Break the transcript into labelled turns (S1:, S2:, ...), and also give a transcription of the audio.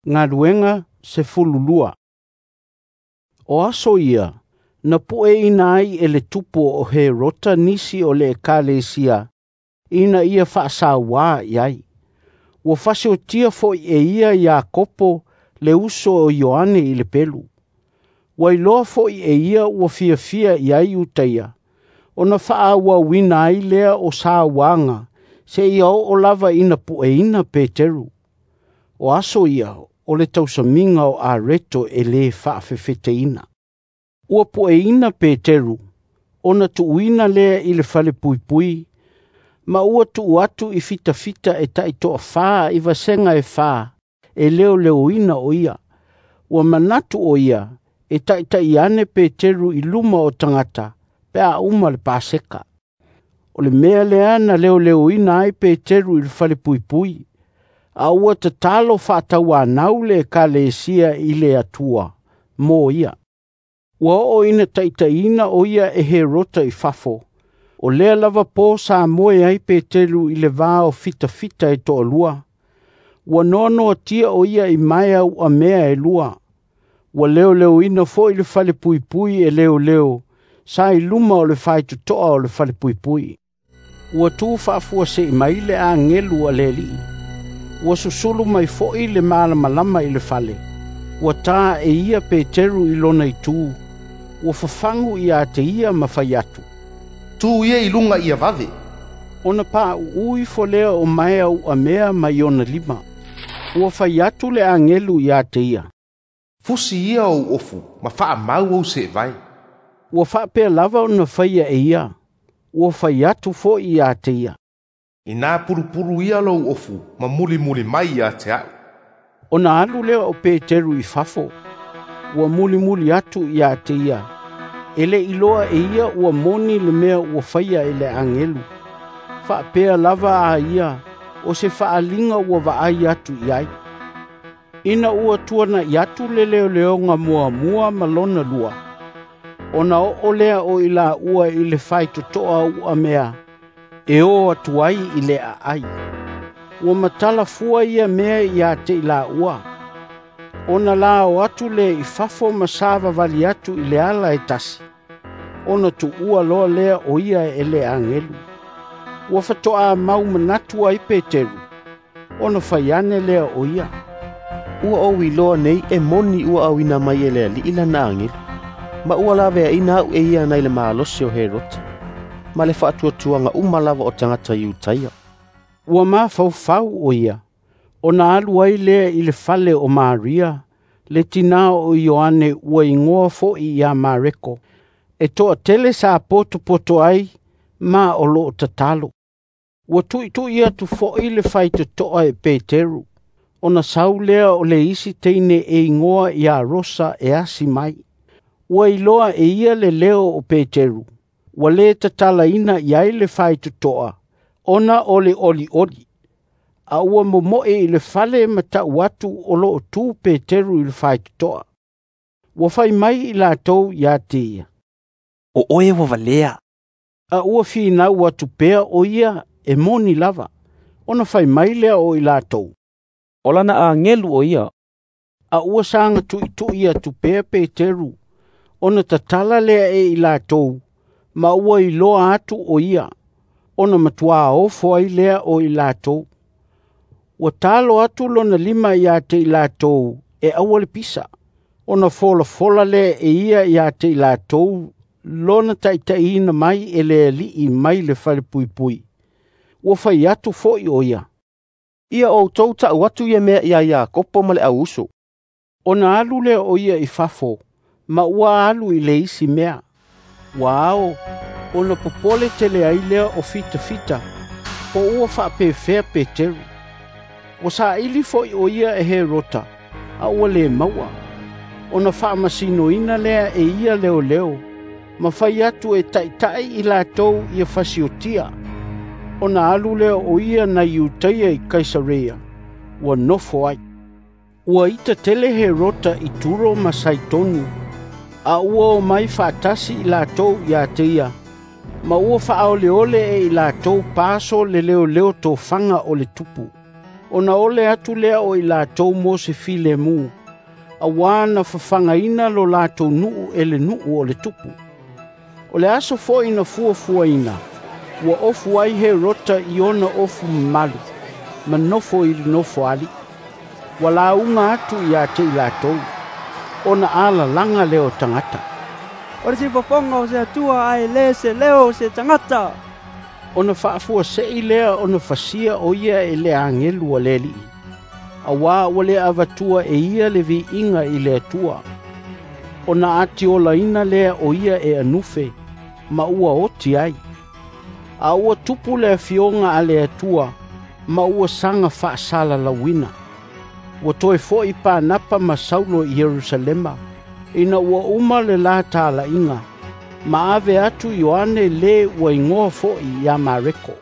S1: Galuega 12. O aso ia, na pueina ai e le tupu o Herota nisi o le ekalesia ina ia faasauā i ai. Ua fasiotia foi e ia Iakopo le uso o Ioane i le pelu. Ua iloa foi e ia ua fiafia i ai Iutaia, ona faaauauina ai lea o sauaga seia oo lava ina pueina Peteru. O aso ia o le tausamiga o areto e lē faafefeteina. Ua pueina Peteru, ona tuuina lea i le falepuipui, ma ua tuu atu i fitafita e taitoafa i vasega e fa e leoleoina o ia. Ua manatu o ia e taʻitaʻi ane Peteru i luma o tagata pe a uma le Paseka. O le mea lea na leoleoina ai Peteru i le falepuipui, a ua tatalo faatauanau le ekalesia i le Atua mo ia. Ua oo ina taʻitaʻiina o ia e Herota i fafo, o lea lava po sa moe ai Peteru i le va o fitafita e toalua. Ua noanoatia o ia i maea uamea e lua. Ua leoleoina foi le falepuipui e leoleo sa i luma o le faitotoa o le falepuipui. Ua tu faafuasei mai le agelu a le Alii. Ua susulu mai foi le malamalama i le fale. Ua tā e ia Peteru i lona itu. Ua fafagu ia te ia ma fai atu,
S2: “Tu ia i luga ia vave.”
S1: Ona pauu ifo lea o maea uamea mai ona lima. Ua fai atu le agelu ia te ia,
S2: “Fusi ia ou ofu ma faamau ou seevae.”
S1: Ua faapea lava ona faia e ia. Ua fai atu foi ia te ia,
S2: “Ina pulupulu ia lou ofu ma mulimuli mai ia te a'u.”
S1: Ona alu lea o Peteru i fafo. Ua mulimuli atu ia te ia. E le iloa e ia ua moni le mea ua faia e le agelu. Faapea lava a ia o se faaliga ua vaai atu i ai. Ina ua tuanaʻi atu le leoleoga muamua ma lona lua, ona oo lea o i laua i le faitotoa uamea e o atu ai i le aai. Ua matala fua ia mea ia te i laua. Ona lao atu lea i fafo ma savavali atu i le ala e tasi, ona tuua loa lea o ia e le agelu. Ua faatoa mau manatu ai Peteru, ona fai ane lea o ia,
S3: “Ua ou iloa nei e moni ua auina mai e le Alii lana agelu, ma ua laveaina au e ia nai le malosi o Herota, ma le faatuatuaga uma lava o tagata Iutaia.”
S1: Ua mafaufau o ia, ona alu ai lea i le fale o Maria, le tinā o Ioane ua igoa foi ia Mareko, e toatele sa potopoto ai ma o loo tatalo. Ua tuitui atu foi le faitotoa e Peteru, ona sau lea o le isi teine e igoa ia Rosa e asi mai. Ua iloa e ia le leo o Peteru, ua lē tatalaina i ai le faitotoa, ona o le olioli. A ua momoe i le fale ma tau atu o loo tu Peteru i le faitotoa. Ua fai mai i latou ia te ia,
S4: “O oe ua valea.”
S1: A ua finau atu pea o ia e moni lava. Ona fai mai lea o i latou,
S4: “O lana agelu o ia.”
S1: A ua saga tuitui atu pea Peteru, ona tatala lea e i latou, ma ua iloa atu o ia, ona matuā ofo ai lea o i latou. Ua talo atu lona lima ia te i latou e aua le pisa, ona folafola lea e ia ia te i latou lona taʻitaʻiina mai e le Alii mai le falepuipui. Ua fai atu foi o ia,
S3: “Ia outou tau atu ia mea ia Iakopo ma le au uso.”
S1: Ona alu lea o ia i fafo, ma ua alu i le isi mea. Ua ao, ona popole tele ai lea o fitafita, po ua faapefea Peteru. Ua saili foi o ia e Herota, a ua lē maua. Ona faamasinoina lea e ia leoleo, ma fai atu e taʻitaʻi i latou ia fasiotia. Ona alu lea o ia nai Iutaia i Kaisareia, ua nofo ai. Ua ita tele Herota i Turo ma Saitonu, a ua o mai faatasi i latou ia te ia, ma ua faaoleole e i latou paso le leoleo tofaga o le tupu. Ona ole atu lea o i latou mo se filemu, auā na fafagaina lo latou nuu e le nuu o le tupu. O le aso foi na fuafuaina, ua ofu ai Herota i ona ofu mamalu, ma nofo i le nofoalii. Ua lauga atu ia te i latou. Ona alalaga lea o tagata,
S5: "O le siufofoga o se Atua ae le se leo o se tagata."
S1: Ona faafuasei lea ona fasia o ia e le agelu a le Alii, auā ua le avatua e ia le viiga i le Atua. Ona atiolaina lea o ia e anufe, ma ua oti ai. A ua tupu le afioga a le Atua, ma ua saga faasalalauina. Ua toe fo'i Panapa ma Saulo i Ierusalema, ina ua uma le la talaiga, ma ave atu Ioane le ua igoa fo'i ia Mareko.